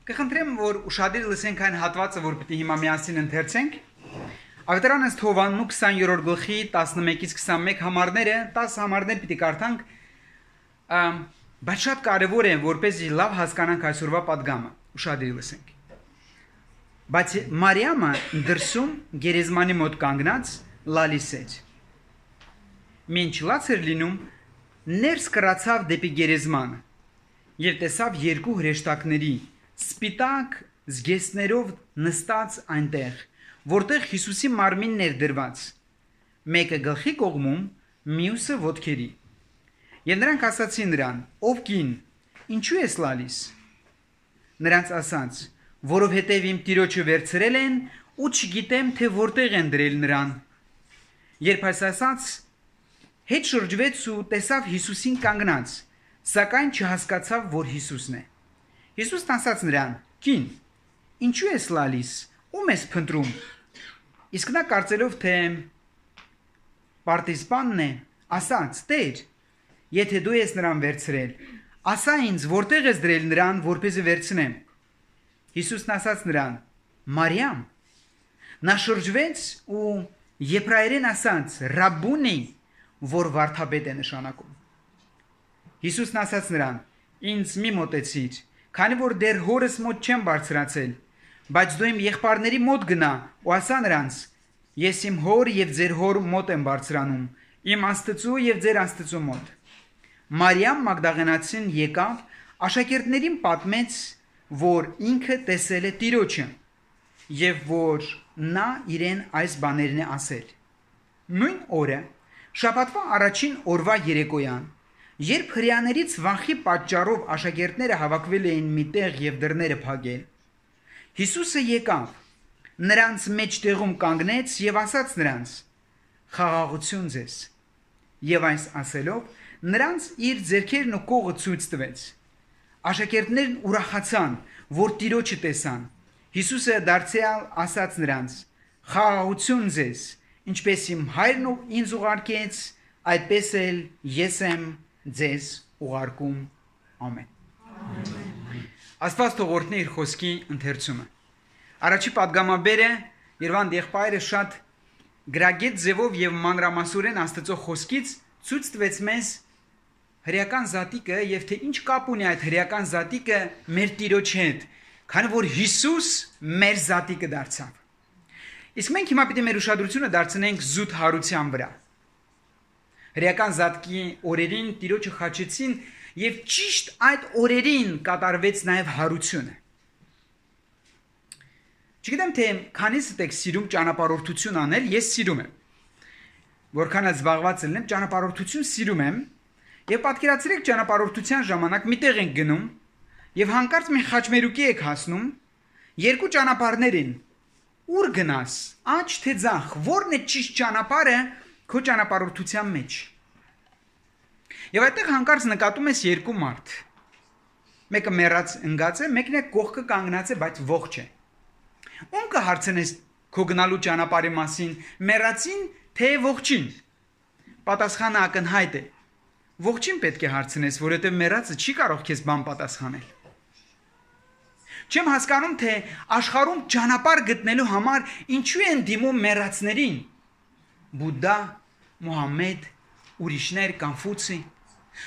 Կխնդրեմ, որ ուշադիր լսենք այն հատվածը, որ պիտի հիմա միասին ընթերցենք։ Ավետարան ըստ Հովհաննու 20-րդ գլխի 11-ից 21 համարները, 10 համարներ պիտի կարդանք, բայց շատ կարևոր է, որպեսզի լավ հասկանանք այսօրվա պատգամը։ Ուշադիր լսենք։ Բայց Մարիամը դրսում գերեզմանի մոտ կանգնած լալիս էր։ Մինչ լաց էր լինում, ներս կրացավ դեպի գերեզմանը և տեսավ երկու հրեշտակների սպիտակ զգեստներով նստած այնտեղ, որտեղ Հիսուսի մարմինն էր դրված, մեկը գլխի կողմում, մյուսը ոտքերի։ Եվ նրանք ասացին նրան. «Ով կին, ինչու ես լալիս»։ Նրանց ասաց. «Որովհետև իմ տիրոջը վերցրել են ու չգիտեմ, թե որտեղ են դրել նրան»։ Երբ այս ասաց, հետ շրջվեց ու տեսավ Հիսուսին կանգնած, սակայն չհասկացավ, որ Հիսուսն է։ Հիսուսն ասաց նրան. «Կին, ինչու ես լալիս, ում ես փնտրում»։ Իսկ նա կարծելով, թե պարտիզպանն է, ասաց. «Տեր, եթե դու ես նրան վերցրել, ասա ինձ, որտեղ ես դրել նրան, որպեսզի վերցնեմ»։ Հիսուսն ասաց նրան. «Մարիամ»։ Նա շրջվեց ու եբրայերեն ասաց. «Ռաբբունի», որ վարդապետ է նշանակում։ Հիսուսն ասաց նրան. «Ինձ մի մոտեցիր, քանի որ դեռ հորս մոտ չեմ բարձրացել, բայց դու իմ եղբայրների մոտ գնա ու ասա նրանց. ես իմ հոր և ձեր հոր մոտ եմ բարձրանում, իմ Աստծու և ձեր Աստծու մոտ»։ Մարիամ Մագդաղենացին եկավ, աշակերտներին պատմեց, որ ինքը տեսել է Տիրոջը և որ նա իրեն այս բաներն է ասել։ Նույն օրը, շաբաթվա առաջին օրվա երեկոյան, երբ հրեաներից վախի պատճառով աշակերտները հավաքվել էին մի տեղ և դռները փակել, Հիսուսը եկավ, նրանց մեջտեղում կանգնեց և ասաց նրանց. «Խաղաղություն ձեզ»։ Եվ այս ասելով, նրանց իր ձեռքերն ու կողը ցույց տվեց։ Աշակերտներն ուրախացան, որ Տիրոջը տեսան։ Հիսուսը դարձյալ ասաց նրանց. «Խաղաղություն ձեզ, ինչպես իմ Հայրն ինձ ուղարկեց, այդպես էլ ես եմ ձեզ ուղարկում»։ Ամեն։ Աստված թող օրհնի իր խոսքի ընթերցումը։ Առաջի պատգամաբերը Երվանդ եղբայրը շատ գրագետ ձևով եւ մանրամասորեն Աստծո խոսքից ցույց տվեց մեզ հրեական զատիկը եւ թե ինչ կապ ունի այդ հրեական զատիկը մեր Տիրոջ հետ, քանի որ Հիսուս մեր զատիկը դարձավ։ Իսկ մենք հիմա պիտի մեր ուշադրությունը դարձնենք զուտ հարության վրա։ Հրեական զատկի օրերին Տիրոջը խաչեցին եւ ճիշտ այդ օրերին կատարվեց նաեւ հարությունը։ Չգիտեմ թե քանիսդ եք սիրում ճանապարհորդություն անել, ես սիրում եմ։ Որքան զբաղված եմ, ճանապարհորդություն սիրում եմ, եւ պատկերացրեք ճանապարհորդության ժամանակ միտեղ ենք գնում եւ հանկարծ մի խաչմերուկի եք հասնում, երկու ճանապարհներ են։ Ուր գնաս, աջ թե ձախ, որն է ճիշտ ճանապարհը քո ճանապարհորդության մեջ։ Եվ այդտեղ հանկարծ նկատում ես երկու մարդ։ Մեկը մեռած ընկած է, մեկն է կողքը կանգնած է, բայց ողջ է։ Ում կհարցնես քո գնալու ճանապարհի մասին, մեռածին թե ողջին։ Պատասխանը ակնհայտ է։ Ողջին պետք է հարցնես, որովհետև մեռածը չի կարող քեզ բան պատասխանել։ Չեմ հասկանում, թե աշխարհում ճանապարհ գտնելու համար ինչու են դիմում մեռածներին։ Բուդդա, Մուհամմեդ, ուրիշներ, Կոնֆուցի։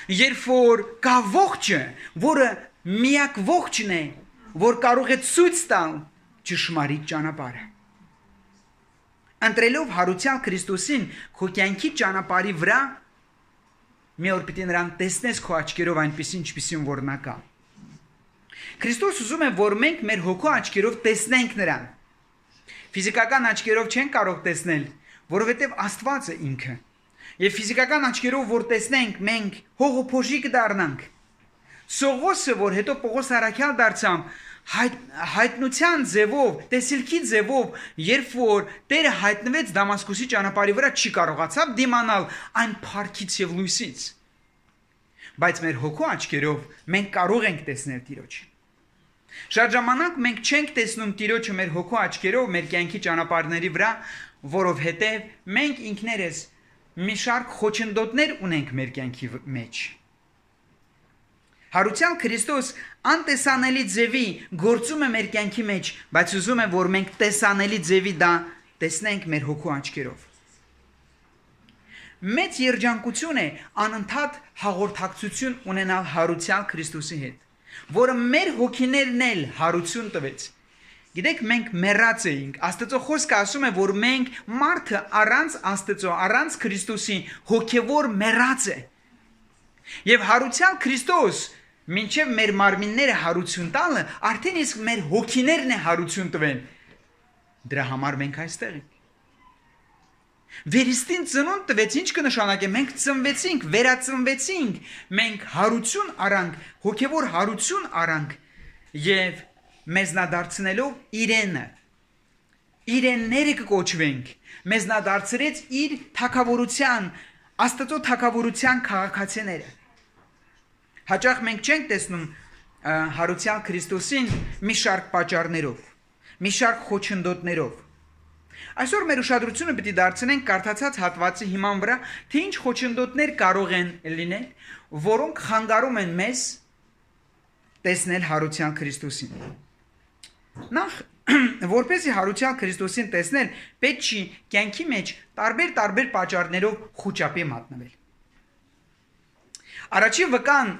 Երբ որ կա ողջը, որը միակ ողջն է, որ կարող է ցույց տալ ճշմարիտ ճանապարհը։ Ընտրելով հարության Քրիստոսին քո կյանքի ճանապարհի վրա, մի օր պիտի նրան տեսնես քո աչքերով այնպեսին, ինչպեսին որ նա կա։ Քրիստոս ուզում է, որ մենք մեր հոգու աչքերով տեսնենք նրան։ Ֆիզիկական աչքերով չենք կարող տեսնել, որովհետև Աստված է ինքը։ Եվ ֆիզիկական աչքերով որ տեսնենք, մենք հողոփոշի կդառնանք։ Սողոսը, որ հետո Պողոս առաքյալ դարձավ, հայտնության ձևով, տեսիլքի ձևով, երբ որ Տերը հայտնվեց Դամասկոսի ճանապարհի վրա, չի կարողացավ դիմանալ այն փառքից եւ լույսից։ Բայց մեր հոգու աչքերով մենք կարող ենք տեսնել Տիրոջը։ Շատ ժամանակ մենք չենք տեսնում Տիրոջը մեր հոգու աչքերով մեր կյանքի ճանապարհների վրա, որովհետև մենք ինքներս մի շարք խոչընդոտներ ունենք մեր կյանքի մեջ։ Հարության Քրիստոս անտեսանելի ձևի գործում է մեր կյանքի մեջ, բայց ուզում եմ, որ մենք տեսանելի ձևի դա տեսնենք մեր հոգու աչքերով։ Մեծ երջանկություն է անընդհատ հաղորդակցություն ունենալ հարության Քրիստոսի հետ, որը մեր հոգիներն էլ հարություն տվեց։ Գիտեք, մենք մեռած էինք։ Աստծո խոսքը ասում է, որ մենք մարդը առանց Աստծո, առանց Քրիստոսի հոգևոր մեռած է։ Եվ հարության Քրիստոս մինչև մեր մարմինները հարություն տալը, արդեն իսկ մեր հոգիներն է հարություն տվեն։ Դրա համար մենք այստեղ ենք։ Վերստին ծնունդ տվեց, ինչ կնշանակե, մենք ծնվեցինք, վերածնվեցինք, մենք հարություն առանք, հոգևոր հարություն առանք եւ մեզնադարձնելով իրենները կկոչվենք, մեզնադարձրեց իր թագավորության, Աստծո թագավորության քաղաքացիները։ Հաճախ մենք չենք տեսնում հարության Քրիստոսին մի շարք պատճառներով, մի շարք խոչընդոտներով։ Այսօր մեր ուշադրությունը պիտի դարձնենք կարդացած հատվածի հիման վրա, թե ինչ խոչընդոտներ կարող են լինել, որոնք խանգարում են մեզ տեսնել հարության Քրիստոսին։ Նախ, որպեսզի հարության Քրիստոսին տեսնել, պետք չի կյանքի մեջ տարբեր պատճառներով խուճապի մատնվել։ Առաջի վկան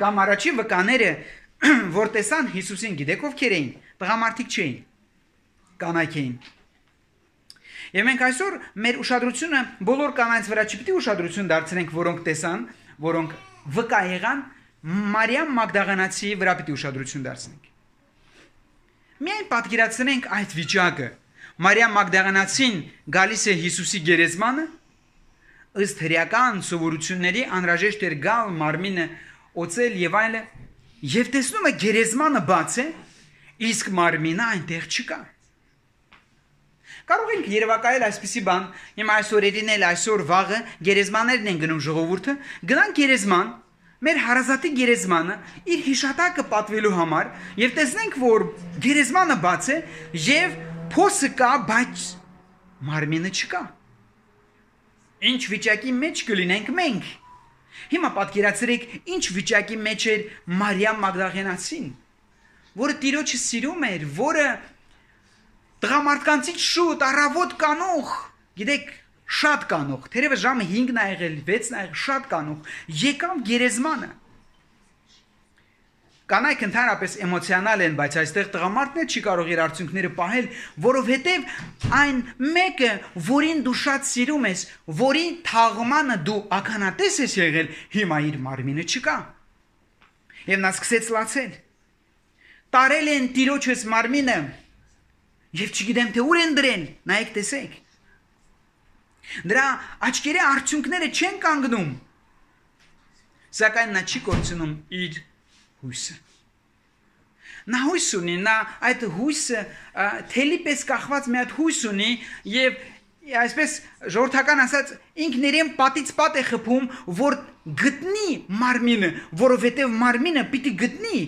կամ առաջի վկաները, որ տեսան Հիսուսին, գիտեք ովքեր էին, տղամարդիկ չէին, կանայք էին։ Եվ մենք այսօր մեր ուշադրությունը բոլոր կանայց վրա չպիտի ուշադրություն դարձնենք, որոնք տեսան, որոնք վկա եղան, Մարիամ Մագդաղանացիի վրա պիտի ուշադրություն դարձնենք։ Միայն պատկերացնենք այդ վիճակը։ Մարիամ Մագդաղանացին գալիս է Հիսուսի գերեզմանը, ըստ հրեական սովորությունների անհրաժեշտ էր գալ մարմինը օծել եւ այլը, եւ տեսնում է գերեզմանը բաց է, իսկ մարմինը այնտեղ չկա։ Կարող ենք երևակայել այսպիսի բան, հիմա այսօրերին էլ այսօր վաղը գերեզմաններն են գնում ժողովուրդը, գնան գերեզման, մեր հարազատի գերեզմանը իր հիշատակը պատվելու համար եւ տեսնենք, որ գերեզմանը բաց է եւ փոսը կա, բայց մարմինը չկա։ Ինչ վիճակի մեջ կլինենք մենք։ Հիմա պատկերացրեք, ինչ վիճակի մեջ էր Մարիամ Մագդաղենացին, որը Տիրոջը սիրում էր, որը տղամարդկանցից շուտ առավոտ կանող, գիտեք, շատ կանող, թերևս ժամը 5-ն ա եղել, 6-ն ա եղել, շատ կանող, եկավ գերեզմանը։ Կանայք ընդհանրապես էմոցիոնալ են, բայց այստեղ տղամարդն էլ չի կարող իր արդյունքները պահել, որովհետև այն մեկը, որին դու շատ սիրում ես, որի թաղմանը դու ականատես ես եղել, հիմա իր մարմինը չկա։ Եվ նա սկսեց լացել։ Տարել են Տիրոջս մարմինը, եւ չգիտեմ թե ուր են դրել, նայեք տեսեք։ Դրա աչքերի արդյունքները չեն կանգնում, սակայն նա չի կորցնում իր հույսը։ Նա հույս ունի, նա այդ հույսը թելի պես կախված մի հատ հույս ունի եւ այսպես ժողովրդական ասած ինքն իրեն պատից պատ է խփում, որ գտնի մարմինը, որովհետեւ մարմինը պիտի գտնի,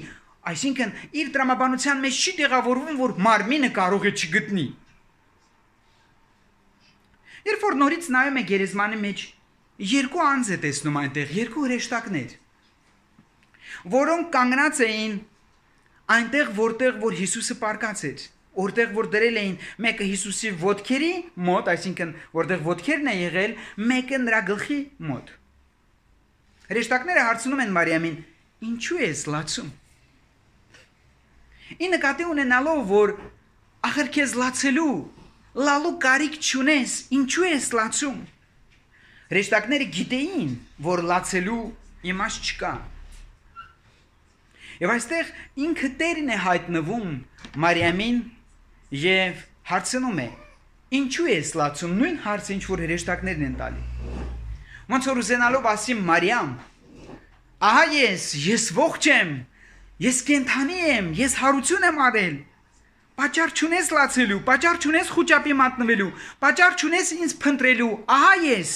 այսինքն իր տրամաբանության մեջ չի տեղավորվում, որ մարմինը կարող է չգտնի։ Երբ որ նորից նայում է գերեզմանի մեջ, երկու անձ է տեսնում այնտեղ, երկու հրեշտակներ, որոնք կանգնած էին այնտեղ, որտեղ որ Հիսուսը պարկած էր, որտեղ որ դրել էին մեկը Հիսուսի ոտքերի մոտ, այսինքն որտեղ ոտքերն է եղել, մեկը նրա գլխի մոտ։ Հրեշտակները հարցնում են Մարիամին. «Ինչու ես լացում»։ Ի նկատի ունենալով, որ ախր քեզ լացելու, լալու կարիք չունես, ինչու ես լացում։ Հրեշտակները գիտեին, որ լացելու իմաստ չկա։ Եվ այստեղ ինքը Տերն է հայտնվում Մարիամին եւ հարցնում է. «Ինչու ես լացում»։ Նույն հարցը, ինչ որ հրեշտակներն են տալի։ Ոնց որ ուզենալով ասի Մարիամ. «Ահա ես ողջ եմ, ես կենդանի եմ, ես հարություն եմ արել։ Պատճառ չունես լացելու, պատճառ չունես խուճապի մատնվելու, պատճառ չունես ինձ փնտրելու, ահա ես»։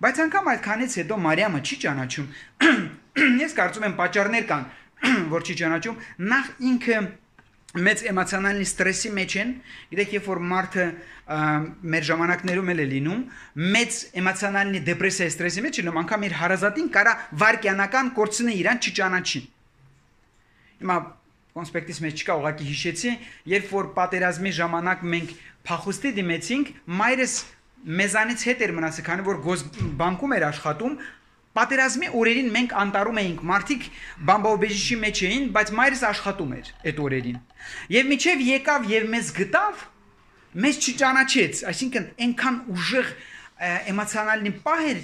Բայց անգամ այդքանից հետո Մարիամը չի ճանաչում։ Ես կարծում եմ պատճառներ կան, որ չի ճանաչում։ Նախ ինքը մեծ էմոցիոնալ ստրեսի մեջ են, գիտեք, երբ որ մարդը մեր ժամանակներում էլ է լինում, մեծ էմոցիոնալ դեպրեսիա ստրեսի մեջ լինում, անգամ իր հարազատին կարա վարկյանական կորցնի իրան չճանաչի։ Հիմա կոնսպեկտից մեջ չկա, ուղղակի հիշեցի, երբ որ պատերազմի ժամանակ մենք փախուստի դիմեցինք, մայրս մեզանից հետ էր մնացել, քանի որ բանկում էր աշխատում, պատերազմի օրերին մենք անտարում էինք, մարդիկ բամբաուբեժիշի մեջ էին, բայց մայրս աշխատում էր այդ օրերին։ Եվ միջև եկավ եւ մեզ գտավ, մեզ չճանաչեց, այսինքն այնքան ուժեղ էմոցիոնալնի պահեր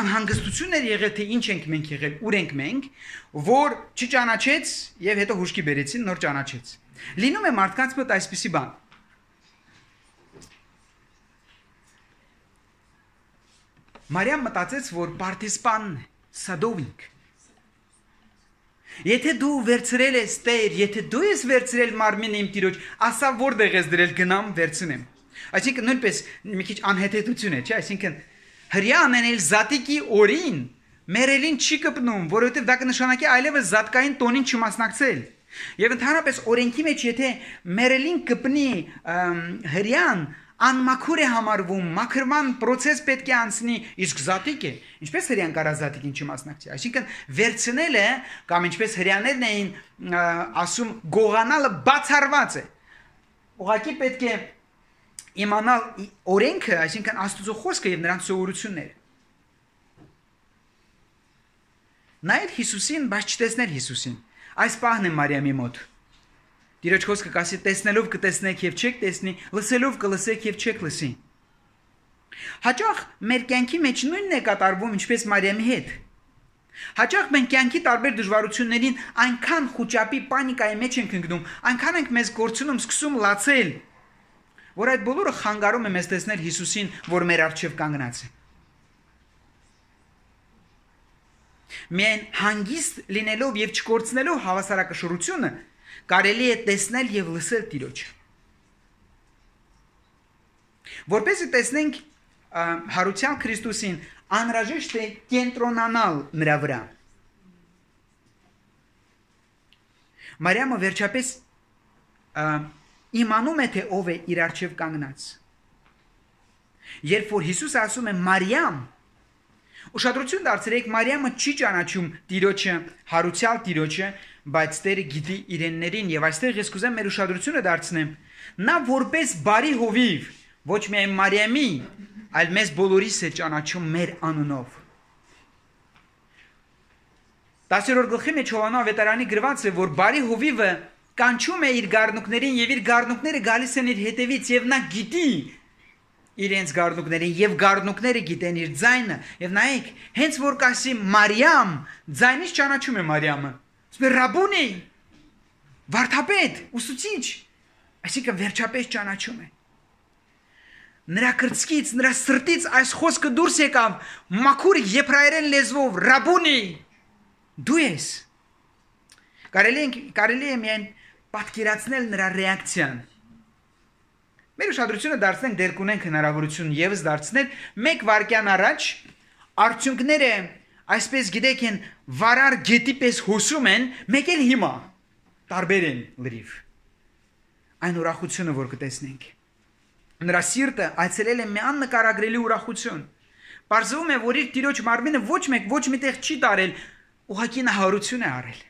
անհանգստություն էր եղել, թե ինչ ենք մենք եղել, ուր ենք մենք, որ չճանաչեց եւ հետո հուշկի բերեցին, նոր ճանաչեց։ Լինում է մարդկանց մոտ այսպիսի բան։ Մարիամ մտածեց, որ պարտիզպանն է, սադովինք։ Եթե դու վերցրել ես Տեր, եթե դու ես վերցրել մարմինը իմ Տիրոջ, ասա որտեղ ես դրել, գնամ վերցնեմ։ Այսինքն նույնպես մի քիչ անհետեցություն է, չէ՞, այսինքն հրյա անենել զատիկի օրին մերելին չի կպնում, որովհետև դա կնշանակի այլևս զատկային տոնին չմասնակցել։ Եվ ընդհանրապես օրենքի մեջ եթե մերելին կպնի հրյան անմաքուր է համարվում, մաքրման process պետք է անցնի, իսկ զատիկը, ինչպես հրյան կարա զատիկին չմասնակցի, այսինքն վերցնելը կամ ինչպես հրյաներն էին ասում գողանալը բացառված է։ Ուղղակի պետք է իմանալ օրենքը, այսինքն Աստծո խոսքը եւ նրանց սովորությունները։ Նայել Հիսուսին, բայց չտեսնել Հիսուսին։ Այս պահն է Մարիամի մոտ։ Տիրոջ խոսքը կասի տեսնելով կտեսնեք եւ չեք տեսնի, լսելով կլսեք եւ չեք լսի։ Հաճախ մեր կյանքի մեջ նույնն է կատարվում, ինչպես Մարիամի հետ։ Հաճախ մենք կյանքի տարբեր դժվարություններին այնքան խոճապի պանիկայի մեջ ենք ընկնում, այնքան ենք մեզ կորցնում, սկսում լացել, որ այդ բոլորը խանգարում է մեզ տեսնել Հիսուսին, որ մեր առջև կանգնած է։ Միայն հանգիստ լինելով եւ չկորցնելով հավասարակշռությունը կարելի է տեսնել եւ լսել Տիրոջը։ Որպեսզի տեսնենք հարության Քրիստոսին, անհրաժեշտ է կենտրոնանալ նրա վրա։ Մարիամը վերջապես իմանում է, թե ով է իր առջև կանգնած։ Երբ որ Հիսուսը ասում է Մարիամ, ուշադրություն դարձրեք, Մարիամը չի ճանաչում Տիրոջը, հարության Տիրոջը, բայց Տերը գիտի իրեններին եւ այստեղ ես կուզեմ մեր ուշադրությունը դարձնեմ։ Նա որպես բարի հովիվ, ոչ միայն Մարիամի, այլ մեզ բոլորիս է ճանաչում մեր անունով։ 10-րդ գլխի մեջ Հովաննես ավետարանի գրված է, որ բարի հովիվը կանչում է իր գառնուկներին եւ իր գառնուկները գալիս են իր հետևից եւ նա գիտի իրենց գառնուկներին եւ գառնուկները գիտեն իր ձայնը եւ նայեք հենց որ կասի Մարիամ ձայնից ճանաչում է Մարիամը ասում է Ռաբունի վարդապետ ուսուցիչ այսինքն վերջապես ճանաչում է նրա կրծքից նրա սրտից այս խոսքը դուրս եկավ մաքուր եբրայերեն լեզվով Ռաբունի դու ես կարելի է միայն պատկերացնել նրա ռեակցիան Մեր ուշադրությունը դարձնենք դեր կունենք հնարավորություն եւս դարձնել մեկ վարքյան առաջ արդյունքները այսպես գիտեք են վարար գետի պես հոսում են մեկ էլ հիմա տարբեր են լրիվ այն ուրախությունը որ կտեսնենք նրա սիրտը այցելել է մի աննկարագրելի ուրախություն Պարզվում է որ իր Տիրոջ մարմինը ոչ միտեղ չի տարել ուղղակի նա հարություն է արել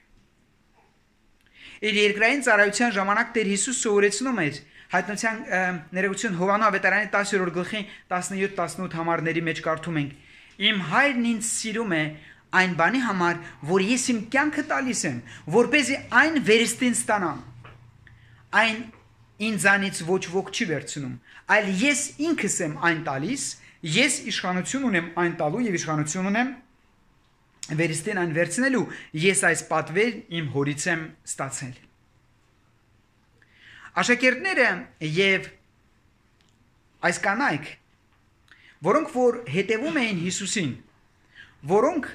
Իր երկրային ծառայության ժամանակ Տեր Հիսուս սովորեցնում էր Հայտնության ներողություն Հովաննես ավետարանի 10-րդ գլխի 17-18 համարների մեջ կարդում ենք Իմ հայրն ինձ սիրում է այն բանի համար, որ ես իմ կյանքը տալիս եմ, որպեսզի այն վերստին ստանամ։ Այն ինձանից ոչ ոք չի վերցնում, այլ ես ինքս եմ այն տալիս, ես իշխանություն ունեմ այն տալու եւ իշխանություն ունեմ վերստին այն վերցնելու, ես այս պատվեր իմ հորից եմ ստացել։ Աշակերտները եւ այս կանայք, որոնք որ հետևում էին Հիսուսին, որոնք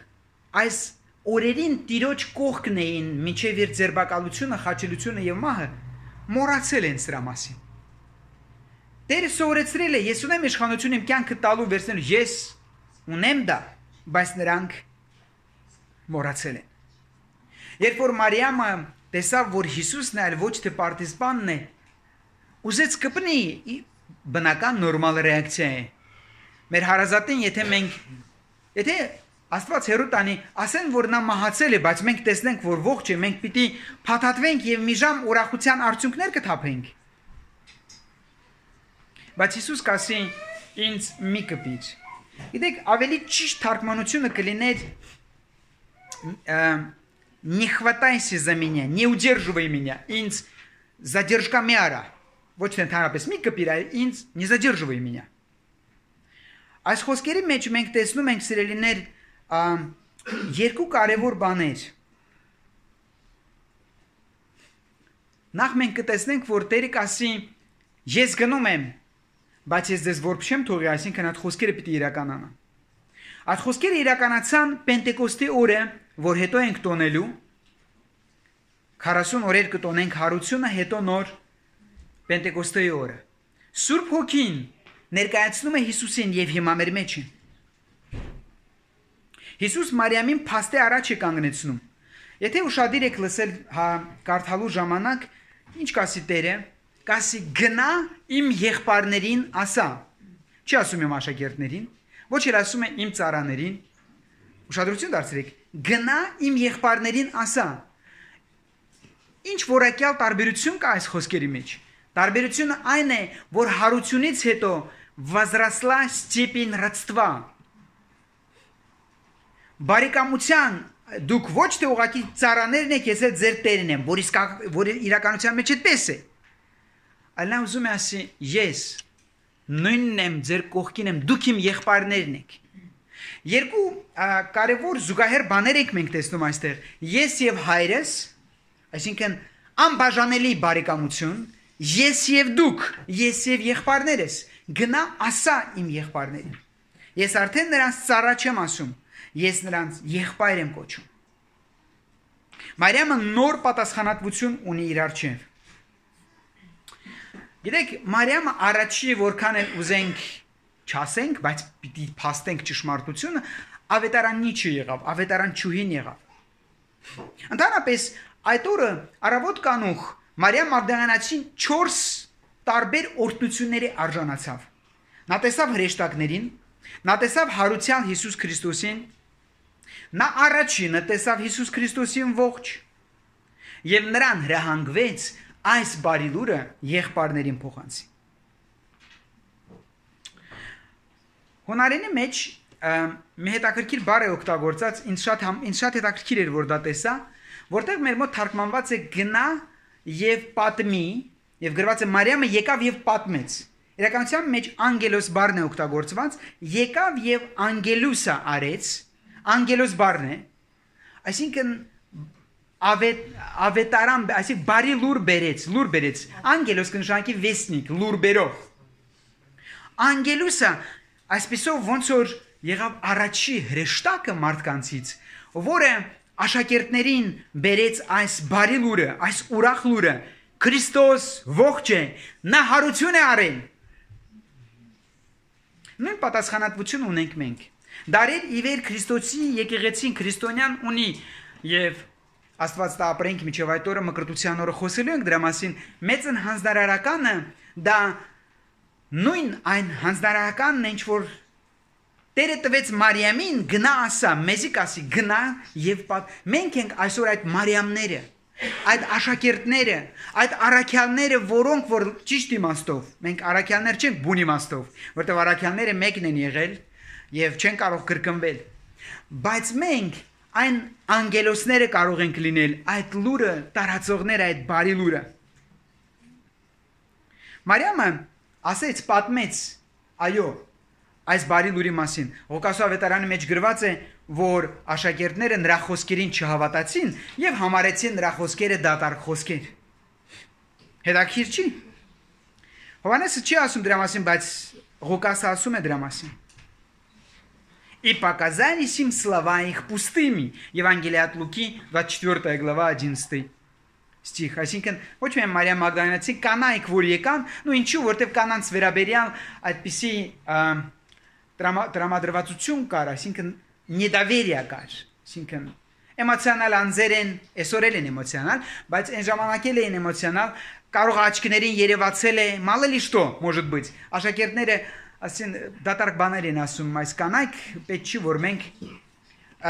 այս օրերին Տիրոջ կողքն էին մինչև իր ձերբակալությունը, խաչելությունը եւ մահը, մոռացել են սրա մասին։ Տերը սովորեցրել է, ես ունեմ իշխանություն իմ կյանքը տալու վերցնելու, ես ունեմ դա, բայց նրանք մոռացել են։ Երբ որ Մարիամը տեսավ, որ Հիսուսն է, այլ ոչ թե պարտիզպանն է, ուզեց կպնի բնական նորմալ ռեակցիա է։ Մեր հարազատին, եթե Աստված հերո տանի, ասեն որ նա մահացել է, բայց մենք տեսնենք որ ողջ է, մենք պիտի փաթաթվենք եւ մի ժամ ուրախության արդյունքներ կթափենք։ Բայց Հիսուս կասի ինձ մի կպիր։ Գիտեք, ավելի ճիշտ թարգմանությունը կլիներ не хватайся за меня, не удерживай меня, ինձ задержка մի արա։ Ոչ թե ընդհանրապես մի կպիր, այլ ինձ не задерживай меня։ Այս խոսքերի մեջ մենք տեսնում ենք սիրելիներ երկու կարևոր բաներ։ Նախ մենք կտեսնենք, որ Տերը կասի ես գնում եմ, բայց ես ձեզ որբ չեմ թողի, այսինքն այդ խոսքերը պիտի իրականանան։ Այդ խոսքերը իրականացան Պենտեկոստի օրը, որ հետո ենք տոնելու 40 օրեր կտոնենք հարությունը, հետո նոր Պենտեկոստի օրը։ Սուրբ Հոգին ներկայացնում է Հիսուսին եւ հիմա մեր մեջ է։ Հիսուս Մարիամին փաստի առաջ է կանգնեցնում։ Եթե ուշադիր եք լսել կարդալու ժամանակ, ինչ կասի Տերը, կասի գնա իմ եղբայրներին ասա։ Չի ասում իմ աշակերտներին, ոչ էլ ասում է իմ ծառաներին։ Ուշադրություն դարձրեք, գնա իմ եղբայրներին ասա։ Ինչ որակյալ տարբերություն կա այս խոսքերի մեջ։ Տարբերությունը այն է, որ հարությունից հետո возросла степень родства։ Բարեկամության դուք ոչ թե ուղղակի ծառաներն եք, ես էլ ձեր տերն եմ, որ իրականության մեջ այդպես է։ Այլ նա ուզում է ասի, ես նույնն եմ, ձեր կողքին եմ, դուք իմ եղբայրներն եք։ Երկու կարևոր զուգահեռ բաներ ենք մենք տեսնում այստեղ։ Ես եւ հայրս, այսինքն անբաժանելի բարեկամություն, ես եւ դուք, ես եւ եղբայրներս, գնա ասա իմ եղբայրներին։ Ես արդեն նրանց ծառա չեմ ասում, ես նրանց եղբայր եմ կոչում։ Մարիամը նոր պատասխանատվություն ունի իր առջև։ Գիտեք, Մարիամը առաջի որքան էլ ուզենք չասենք, բայց պիտի փաստենք ճշմարտությունը, ավետարաննի չեղավ, ավետարանչուհին եղավ։ Ընդհանրապես այդ օրը առավոտ կանուխ Մարիամ Մագդալենացին 4 տարբեր օրհնությունների արժանացավ։ Նա տեսավ հրեշտակներին, նա տեսավ հարության Հիսուս Քրիստոսին, նա առաջինը տեսավ Հիսուս Քրիստոսին ողջ եւ նրան հրահանգվեց այս բարի լուրը եղբայրներին փոխանցի։ Հունարենի մեջ մի հետաքրքիր բառ է օգտագործած, ինձ շատ հետաքրքիր էր որ դա տեսա, որտեղ մեր մոտ թարգմանված է գնա եւ պատմի եւ գրված է Մարիամը եկավ եւ պատմեց։ Իրականության մեջ անգելոս բառն է օգտագործված, եկավ եւ անգելուսա արեց, անգելոս բառն է, այսինքն ավետարան, այսինքն բարի լուր բերեց, անգելոս կնշանակի վեսնիկ, լուր բերող։ Անգելուսը այսպեսով ոնց որ եղավ առաջի հրեշտակը մարդկանցից, որը աշակերտներին բերեց այս բարի լուրը, այս ուրախ լուրը, Քրիստոս ողջ է, նա հարություն է արել։ Նույն պատասխանատվություն ունենք մենք։ Դարեր ի վեր Քրիստոսի եկեղեցին քրիստոնյան ունի եւ Աստված տա ապրենք միջև այդ օրը մկրտության օրը խոսելու ենք դրա մասին, մեծ հանձնարարականը դա նույն այն հանձնարարականն է, ինչ որ Տերը տվեց Մարիամին գնա ասա, մեզի կասի գնա եւ մենք ենք այսօր այդ Մարիամները, այդ աշակերտները, այդ առաքյալները, որոնք որ ճիշտ իմաստով, մենք առաքյալներ չենք բուն իմաստով, որտեղ առաքյալները մեկն են եղել եւ չեն կարող կրկնվել, բայց մենք այն անգելոսները կարող ենք լինել, այդ լուրը տարածողները, այդ բարի լուրը։ Մարիամը ասեց, պատմեց, այո, այս բարի լուրի մասին։ Ղուկաս ավետարանի մեջ գրված է, որ աշակերտները նրա խոսքերին չհավատացին եւ համարեցին նրա խոսքերը դատարկ խոսքեր։ Հետաքրքիր չի։ Հովհաննեսը չի ասում դրա մասին, բայց Ղուկասը ասում է դրա մասին։ И показались им слова их пустыми. Евангелие от Луки, 24 глава, 11 стих. Այսինքն ոչ միայն Մարիամ Մագդալենացի կանայք որ եկան, նո ինչու, որտեվ կանանց վերաբերյալ այդպիսի տրամադրվածություն կար, այսինքն недоверие կար, այսինքն էմոցիոնալ անձեր են, այսօր են էմոցիոնալ, բայց այն ժամանակ են էմոցիոնալ, կարող աչքներին երևացել է, мало ли что, может быть, աշակերտները ասին դատարկ բաներ են ասում, այս կանայք պետք չի որ մենք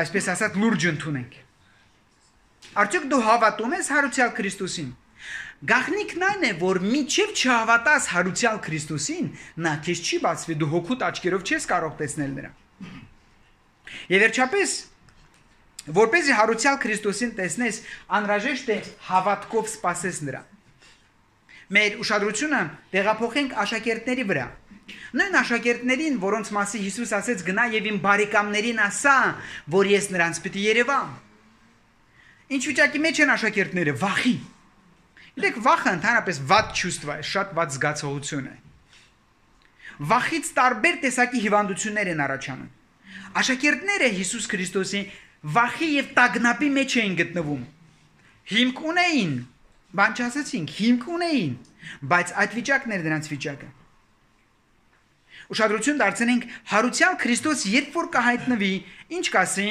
այսպես ասած լուրջ ընդունենք։ Արդյոք դու հավատում ես հարուցյալ Քրիստոսին։ Գաղտնիքն այն է, որ մինչև չհավատաս հարուցյալ Քրիստոսին, նա քեզ չի բացվի, դու հոգուտ աչքերով չես կարող տեսնել նրան։ Եվ վերջապես, որպեսզի հարուցյալ Քրիստոսին տեսնես, անհրաժեշտ է հավատքով սպասես նրան։ Մեր ուշադրությունը տեղափոխենք աշակերտների վրա։ Նույն աշակերտներին, որոնց մասին Հիսուս ասեց գնա եւ իմ բարեկամներին ասա, որ ես նրանց պիտի երևամ։ Ինչ վիճակի մեջ են աշակերտները, վախի։ Գիտեք, վախը ընդհանրապես վատ ճուստվա է, շատ վատ զգացողություն է։ Վախից տարբեր տեսակի հիվանդություններ են առաջանում։ Աշակերտները Հիսուս Քրիստոսի վախի եւ տագնապի մեջ էին գտնվում։ Հիմք ունեին, բան չասեցինք, հիմք ունեին, բայց այդ վիճակն էր նրանց վիճակը։ Ուշադրություն դարձնենք հարուցյալ Քրիստոս երբ որ կհայտնվի, ինչ կասի,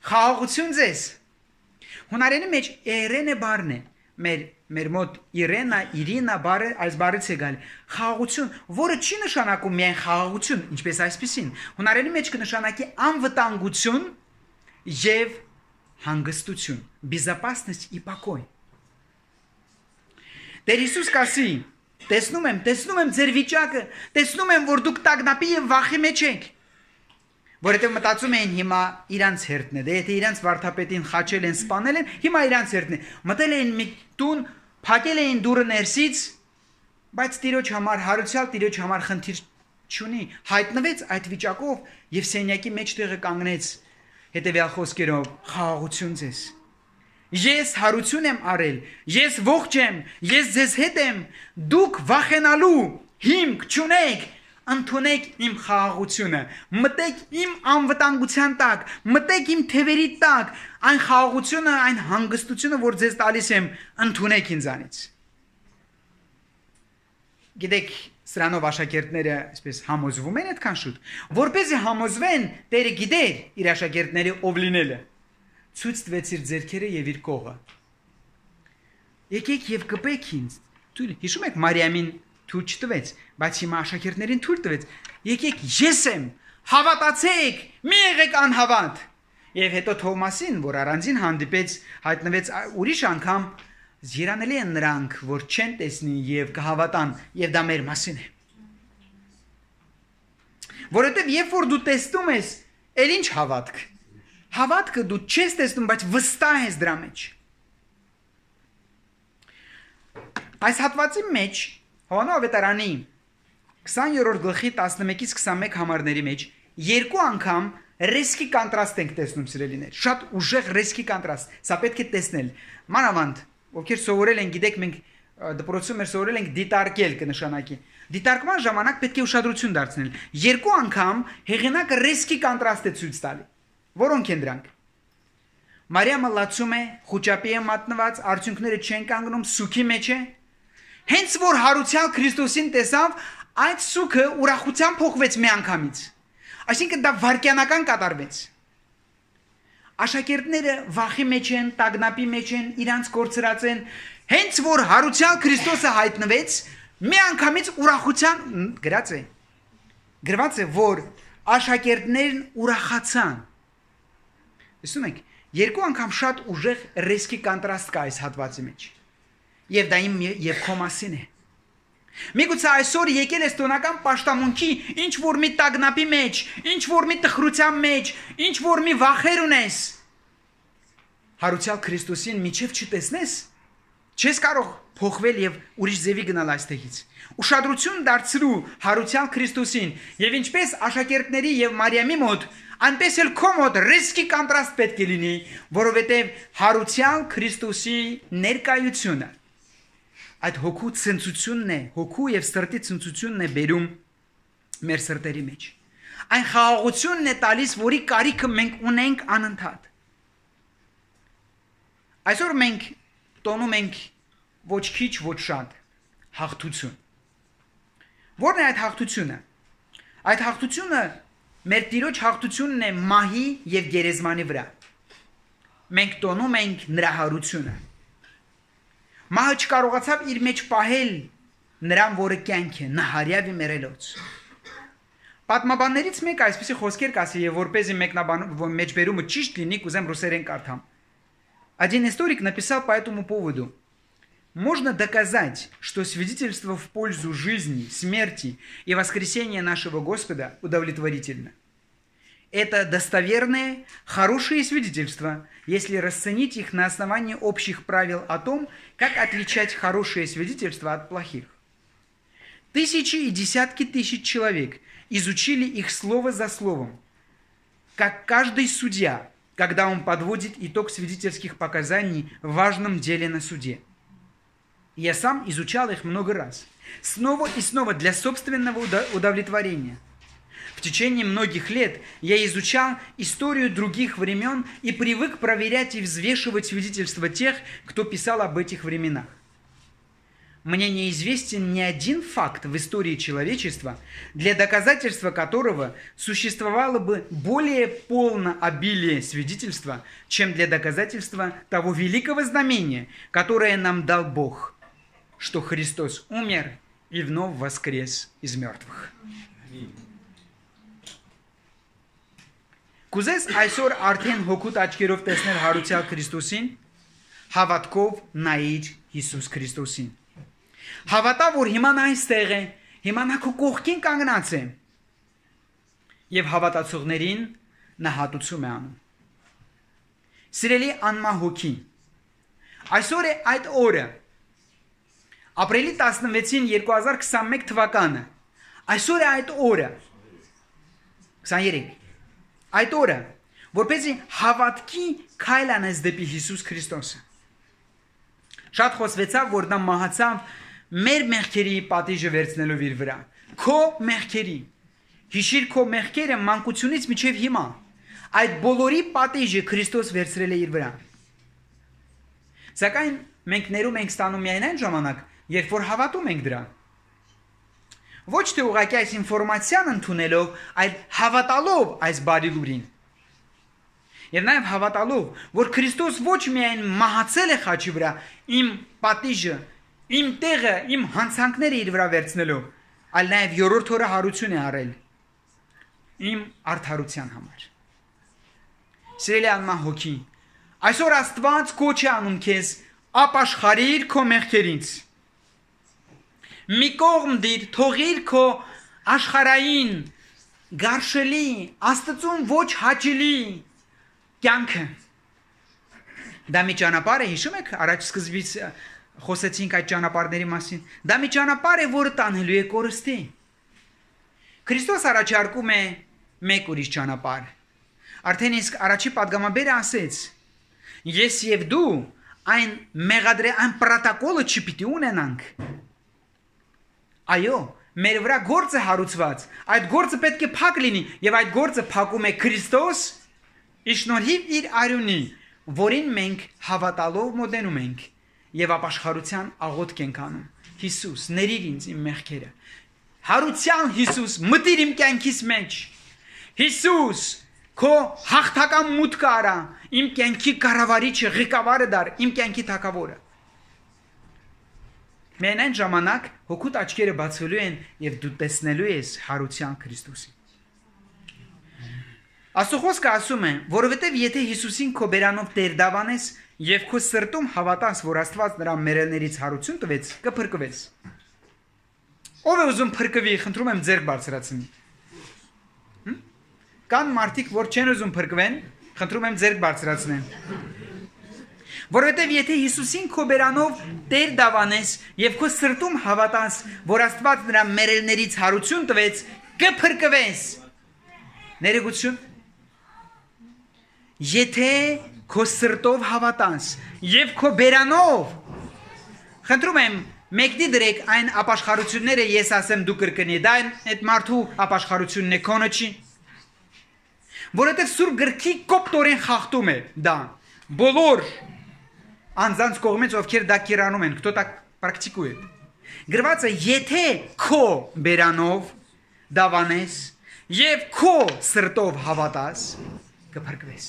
խաղաղություն ձեզ։ Հունարենի մեջ Էրենե բառն է, մեր մոտ Իրինա բառը այս բառից է գալ, խաղաղություն, որը չի նշանակում միայն խաղաղություն, ինչպես այսպեսին։ Հունարենի մեջ կնշանակի անվտանգություն եւ հանգստություն, безопасность и покой։ Տեր Հիսուս կասի, տեսնում եմ ձեր վիճակը, տեսնում եմ, որ դուք տագնապի եւ վախի մեջ եք։ Որովհետեւ մտածում էին հիմա իրանց հերթն է, դե եթե իրանց վարդապետին խաչել են, սպանել են, հիմա իրանց հերթն է։ Մտել էին մի տուն, փակել էին դուռը ներսից, բայց Տիրոջ համար, հարուցյալ Տիրոջ համար խնդիր չունի, հայտնվեց այդ վիճակով եւ սենյակի մեջտեղը կանգնեց հետեւյալ խոսքերով. խաղաղություն ձեզ։ Ես հարություն եմ արել, ես ողջ եմ, ես ձեզ հետ եմ, դուք վախենալու հիմք չունեք, ընդունեք իմ խաղաղությունը, մտեք իմ անվտանգության տակ, մտեք իմ թևերի տակ, այն խաղաղությունը, այն հանգստությունը, որ ձեզ տալիս եմ, ընդունեք ինձանից։ Գիտեք, սրանով աշակերտները այսպես համոզվում են այդքան շուտ, որպեսզի համոզվեն, Տերը գիտեր իր աշակերտների ով լինելը, ցույց տվեց իր ձեռքերը եւ իր կողը։ Եկեք եւ կպեք ինձ։ Հիշում եք Մարիամին թույլ չտվեց, բայց հիմա աշակերտներին թույլ տվեց։ Եկեք, ես եմ, հավատացեք, մի եղեք անհավատ։ Եվ հետո Թովմասին, որ առանձին հանդիպեց, հայտնվեց ուրիշ անգամ, երանելի են նրանք, որ չեն տեսնի եւ կհավատան, եւ դա մեր մասին է։ Որովհետեւ երբ որ դու տեսնում ես, ել ինչ հավատք։ Հավատքը դու չես տեսնում, բայց վստահ ես դրա մեջ։ Այս հատվածի մեջ Հովհաննես ավետարանի 20-րդ գլխի 11-ից 21 համարների մեջ երկու անգամ ռիսկի կոնտրաստ ենք տեսնում, սիրելիներ։ Շատ ուժեղ ռիսկի կոնտրաստ։ Սա պետք է տեսնել։ Մանավանդ, ովքեր սովորել են, գիտեք, մենք դպրոցում մեր սովորել ենք դիտարկել կնշանակի։ Դիտարկման ժամանակ պետք է ուշադրություն դարձնել։ Երկու անգամ հեղինակը ռիսկի կոնտրաստ է ցույց տալի։ Որոնք են դրանք։ Մարիամը լացում է, խոճապի է մատնված, արդյունքները չեն կանգնում, սուքի մեջ է։ Հենց որ հարուցյալ Քրիստոսին տեսավ, այդ սուքը ուրախությամբ փոխվեց մի անգամից։ Այսինքն դա վարքյանական կատարվեց։ Աշակերտները վախի մեջ են, տագնապի մեջ են, իրանց կորցրած են։ Հենց որ հարուցյալ Քրիստոսը հայտնվեց, մի անգամից ուրախության գրված է, որ աշակերտներն ուրախացան։ Տեսնում եք, երկու անգամ շատ ուժեղ ռիսկի կոնտրաստ կա այս հատվածի մեջ։ Եվ դա իմ եւ քո մասին է։ Միգուցե այսօր եկել ես տոնական պաշտամունքի, ինչ որ մի տագնապի մեջ, ինչ որ մի տխրության մեջ, ինչ որ մի վախեր ունես։ Հարուցյալ Քրիստոսին միջև չտեսնես, չես կարող փոխվել եւ ուրիշ ձևի գնալ այստեղից։ Ուշադրություն դարձրու հարուցյալ Քրիստոսին եւ ինչպես աշակերտների եւ Մարիամի մոտ, այնպես էլ քո մոտ ռիսկի կոնտրաստ պետք է լինի, որովհետեւ հարուցյալ Քրիստոսի ներկայությունը այդ հոգու ցնծությունն է, հոգու եւ սրտի ցնծությունն է բերում մեր սրտերի մեջ։ Այն խաղաղությունն է տալիս, որի կարիքը մենք ունենք անընդհատ։ Այսօր մենք տոնում ենք ոչ քիչ, ոչ շատ հաղթություն։ Որն է այդ հաղթությունը։ Այդ հաղթությունը մեր Տիրոջ հաղթությունն է մահի եւ գերեզմանի վրա։ Մենք տոնում ենք նրա հարությունը։ Մահը չկարողացավ իր մեջ պահել նրան, որը կյանք է, նա հարյավի մերելոց։ Պատմաբաններից մեկը այսպեսի խոսքեր կասի եւ որպեսզի մեջբերումը ճիշտ լինի, կուզեմ ռուսերեն կարդամ. Один историк написал по этому поводу: можно доказать, что свидетельство в пользу жизни, смерти и воскресения нашего Господа удовлетворительно. Это достоверные, хорошие свидетельства, если расценить их на основании общих правил о том, как отличать хорошие свидетельства от плохих. Тысячи и десятки тысяч человек изучили их слово за словом, как каждый судья, когда он подводит итог свидетельских показаний в важном деле на суде. Я сам изучал их много раз, снова и снова для собственного удовлетворения. В течение многих лет я изучал историю других времен и привык проверять и взвешивать свидетельства тех, кто писал об этих временах. Мне неизвестен ни один факт в истории человечества, для доказательства которого существовало бы более полное обилие свидетельства, чем для доказательства того великого знамения, которое нам дал Бог, что Христос умер и вновь воскрес из мертвых. Կուզես այսօր արդեն հոգուտ աչքերով տեսնել հարուցյալ Քրիստոսին, հավատքով նայիր Հիսուս Քրիստոսին. Հավատա, որ հիմա նա այստեղ է, հիմա նա քո կողքին կանգնած է, եւ հավատացողներին նա հատուցում է անում. Սիրելի անմահ հոգի, այսօր է այդ օրը, ապրիլի 16-ին 2021 թվականը, այսօր է այդ օրը, 23, այդ օրը, որպեսզի հավատքի քայլ անես դեպի Հիսուս Քրիստոսը. Շատ խոսվեցավ, որ նա մահացավ մեր մեղքերի պատիժը վերցնելով իր վրա. Քո մեղքերի. Հիշիր քո մեղքերը մանկությունից մինչև հիմա. Այդ բոլորի պատիժը Քրիստոս վերցրել է իր վրա. Սակայն մենք ներում ենք ստանում միայն այն ժամանակ, երբ որ հավատում ենք դրան. Ոչ թե ուղղակի այս ինֆորմացիան ընդունելով, այլ հավատալով այս բարի լուրին. Եվ նաև հավատալով, որ Քրիստոս ոչ միայն մահացել է խաչի վրա, իմ պատիժը, իմ տեղը, իմ հանցանքները իր վրա վերցնելով, այլ նաև երրորդ օրը հարություն է արել իմ արդարության համար. Սիրելի անմահ հոգի, այսօր Աստված կոչ է անում քեզ ապաշխարիր քո մեղքերից. մի կողմ դիր, թողիր քո աշխարհային, գարշելի, Աստծուն ոչ հաճելի կյանքը. Դա մի ճանապարհ է, հիշում եք, առաջ սկզբից խոսեցինք այդ ճանապարհների մասին. Դա մի ճանապարհ է, որը տանելու է կորստի. Քրիստոս առաջարկում է մեկ ուրիշ ճանապարհ. Արդեն իսկ առաջի պատգամաբերը ասեց. ես եւ դու այն այն պրոտոկոլը չպիտի ունենանք. Այո, մեր վրա գործ է հարուցված, այդ գործը պետք է փակ լինի, եւ այդ գործը փակում է Քրիստոս, իշնորհիվ իր արյունի, որին մենք հավատալով մոտենում ենք եւ ապաշխարության աղոթք ենք անում. Հիսուս, ների ինձ իմ մեղքերը. հարության Հիսուս, մտիր իմ կյանքիս մեջ. Հիսուս, քո հաղթական մուտքը արա, իմ կյանքի կառավարիչը, ղեկավարը դար, իմ կյանքի թագավորը. Միայն այն ժամանակ հոգուտ աչքերը բացվելու են եւ դու տեսնելու ես հարության Քրիստոսին. Աստծո խոսքը ասում է, որովհետեւ եթե Հիսուսին քո բերանով Տեր դավանես եւ քո սրտում հավատաս, որ Աստված նրա մերելներից հարություն տվեց, կփրկվես. Ով է ուզում փրկվի, խնդրում եմ ձեռք բարձրացնի. Կան մարդիկ, որ չեն ուզում փրկվեն, խնդրում եմ ձեռք բարձրացնեն. Որովհետև եթե Հիսուսին քո բերանով Տեր դավանես եւ քո սրտում հավատաս, որ Աստված նրա մերելներից հարություն տվեց, կփրկվես. Ներեգություն. Եթե քո սրտով հավատաս եւ քո բերանով, խնդրում եմ մեկնի դրեք այն ապաշխարությունները, ես ասեմ դու կրկնի, դա այդ մարդու ապաշխարությունն է, քոնը չի. Որովհետև Սուրբ գրքի կոպտորեն խախտում է դա. բոլոր անձանց կողմից, ովքեր դա կիրանում են, кто так практикует. Գրված է, եթե քո բերանով դավանես եւ քո սրտով հավատաս, կփրկվես.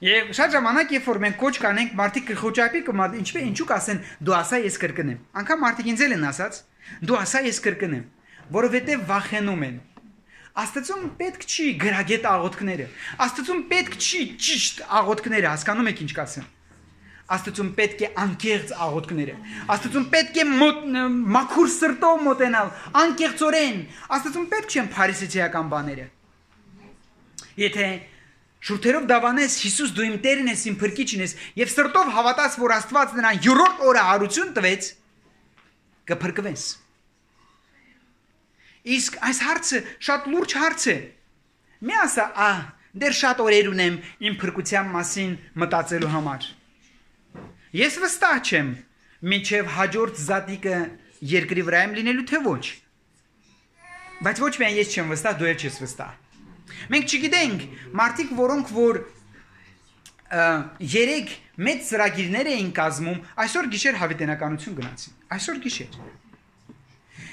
Եվ շատ ժամանակ, երբ որ մենք կոչ կանենք, մարդիկ կխոճապի կմատ, ինչու կասեն, դու ասա ես կրկնեմ. Անկամ մարդիկ ինձ էլ են ասած, դու ասա ես կրկնեմ. որովհետև վախենում են։ Աստծուն պետք չի գրագետ աղոթքները։ Աստծուն պետք չի ճիշտ աղոթքները, հասկանում եք ինչ կասեմ։ Աստծուն պետք է անկեղծ աղոթքները։ Աստծուն պետք է մաքուր սրտով մոտենալ, անկեղծորեն։ Աստծուն պետք չեն փարիսեցիական բաները։ Եթե շուրթերով դավանես Հիսուս դու իմ Տերն ես, իմ Փրկիչն ես, եւ սրտով հավատաս, որ Աստված նրան յուրորդ օրը հարություն տվեց, կփրկվես։ Իսկ այս հարցը շատ լուրջ հարց է։ Մի ասա, դեռ շատ օրեր ունեմ իմ փրկության մասին մտածելու համար։ Ես վստահ չեմ, մինչև հաջորդ զատիկը երկրի վրա եմ լինելու թե ոչ։ Բայց ոչ միայն ես չեմ վստահ, դու էլ չես վստահ։ Մենք չգիտենք, մարդիկ, որոնք որ 3 մեծ ծրագիրներ էին կազմում, այսօր գիշեր հավիտենականություն գնացին։ Այսօր գիշեր։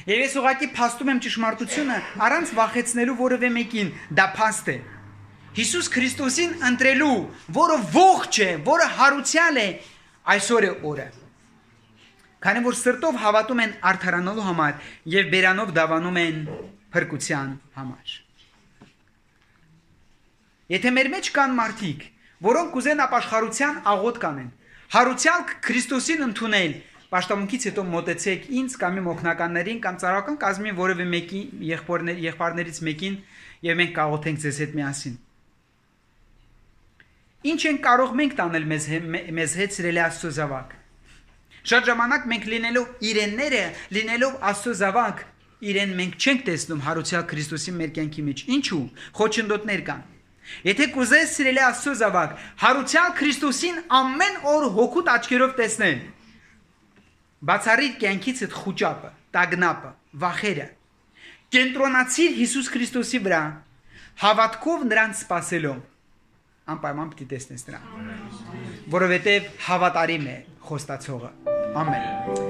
Եվ ես ուղղակի փաստում եմ ճշմարտությունը առանց վախեցնելու որևէ մեկին, դա փաստ է։ Հիսուս Քրիստոսին ընտրելու, որը ողջ է, որը հարուցյալ է, այսօր է օրը։ Քանի որ սրտով հավատում են արդարանալու համար եւ բերանով դավանում են փրկության համար։ Եթե մեր մեջ կան մարդիկ, որոնք կուզեն ապաշխարության աղոթք անեն, հարուցյալ Քրիստոսին ընդունել, Պաշտամունքից հետո մոտեցեք ինձ կամ իմ օգնականներին կամ ծառայական կազմին որևէ մեկի եղբայրներից մեկին եւ մենք կաղոթենք ձեզ հետ միասին։ Ինչ են կարող մենք տանել մեզ հետ սիրելի Աստծո զավակ։ Շատ ժամանակ մենք լինելով իրենները, լինելով Աստծո զավակ, իրեն մենք չենք տեսնում հարուցյալ Քրիստոսի մեր կյանքի մեջ։ Ինչու՞։ Խոչընդոտներ կան։ Եթե կուզես սիրելի Աստծո զավակ, հարուցյալ Քրիստոսին ամեն օր հոգուտ աչքերով տեսնել, բացառիր կյանքից այդ խուճապը, տագնապը, վախերը, կենտրոնացիր Հիսուս Քրիստոսի վրա, հավատքով նրան սպասելով, անպայման պիտի տեսնես նրան, որովհետև հավատարիմ է խոստացողը։ Ամեն։